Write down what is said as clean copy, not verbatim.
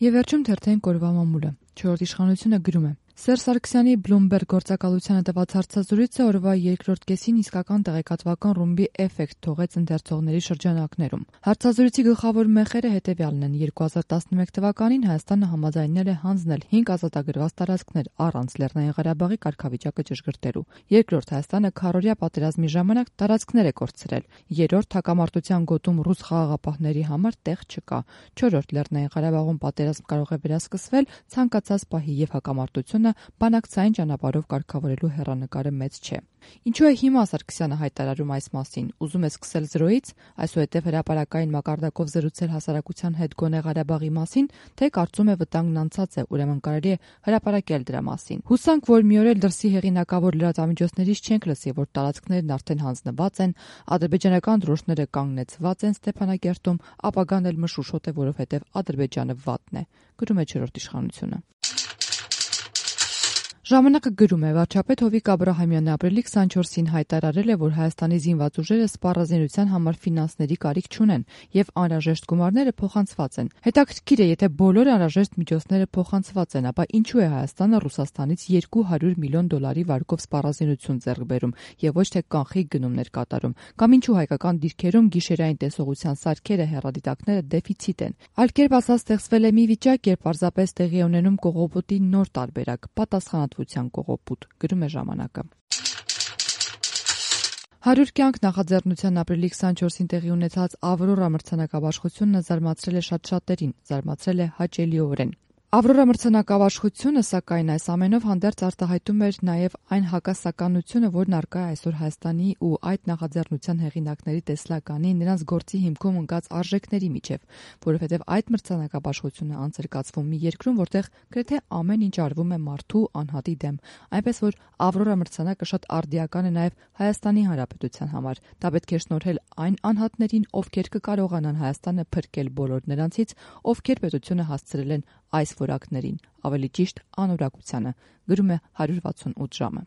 Եվ վերջում թերթային կորվա մամուլը։ 4-րդ իշխանությունը գրում է. Սերժ Սարգսյանի Bloomberg գործակալությանը տված հարցազրույցը օրվա երկրորդ կեսին իսկական տեղեկատվական ռումբի էֆեկտ թողեց ընթերցողների շրջանակներում։ Հարցազրույցի գլխավոր մեխերը հետևյալն են. 2011 թվականին Հայաստանը համաձայնել է հանձնել 5 ազատագրված տարածքներ առանց Լեռնային Ղարաբաղի կարգավիճակը ճշգրտելու։ Երկրորդ, Հայաստանը քառօրյա պատերազմի ժամանակ տարածքներ է կորցրել։ Երրորդ, հակամարտության գոտում ռուս խաղաղապահների համար տեղ չկա։ Չորրորդ, Լեռնային Ղարաբաղում պատերազմ կարող է վերասկսվել ցանկացած պահի եւ հակամարտությունը բանակցային ճանապարհով կարգավորելու հեռանկարը մեծ չէ։ Ինչու է հիմա Սարգսյանը հայտարարում այս մասին։ Ուզում է սկսել զրոյից, այսուհետև հրապարակային մակարդակով զրուցել հասարակության հետ գոնե Ղարաբաղի մասին, թե կարծում է վտանգն անցած է, ուրեմն կարելի է հրապարակել դրա մասին։ Հուսանք, որ մի օր էլ դրսի հեղինակավոր լրատվամիջոցներից չենք լսի, որ տարածքներն արդեն հանձնված են, ադրբեջանական դրոշները կանգնեցված են Ստեփանակերտում, ապագան էլ մշուշոտ է, որովհետև Ադրբեջանը վատն է, գրում է 4-րդ իշխանությունը։ Ժամանակը գրում է. վարչապետ Հովիկ Աբրահամյանը ապրիլի 24-ին հայտարարել է, որ Հայաստանի զինված ուժերը սպառազինության համար ֆինանսների կարիք չունեն եւ անհրաժեշտ գումարները փոխանցված են։ Հետաքրքիր է, եթե բոլոր անհրաժեշտ միջոցները փոխանցված են, ապա ինչու է Հայաստանը Ռուսաստանից $200 միլիոն վարկով սպառազինություն ձեռք բերում եւ ոչ թե կանխիկ գնումներ կատարում, կամ ինչու հայկական դիրքերում գիշերային տեսողության սարքերը, հեռադիտակները դեֆիցիտ են։ Այլ կերպ ասած, ստեղծվել է մի վիճակ, երբ պարզապես տեղի է ունենում կողոպուտի նոր տարբերակ՝ պատասխանատվության կողոպուտ, գրում է ժամանակը։ 100 կյանք նախաձեռնության ապրիլի 24-ին տեղի ունեցած Ավրորա մրցանակաբաշխությունը զարմացրել է շատ շատերին, զարմացրել է հաճելիորեն։ Ավրորա մրցանակաբաշխությունը, սակայն, այս ամենով հանդերձ արտահայտում էր նաև այն հակասականությունը, որն առկա է այսօր Հայաստանի ու այդ նախաձեռնության հեղինակների տեսլականի, նրանց գործի հիմքում ընկած արժեքների միջև, որովհետև այդ մրցանակաբաշխությունը անց էր կացվում մի երկրում, որտեղ գրեթե ամեն ինչ արվում է մարդու անհատի դեմ, այնպես որ Ավրորա մրցանակը շատ արդիական է նաև Հայաստանի Հանրապետության համար։ Դա պետք է շնորհել այն անհատներին, ովքեր կկարողանան Հայաստանը փրկել բոլոր նրանցից, ովքեր պետությունը հասցրել են այս որակներին, ավելի ճիշտ անորակությանը, գրում է 168 ժամը։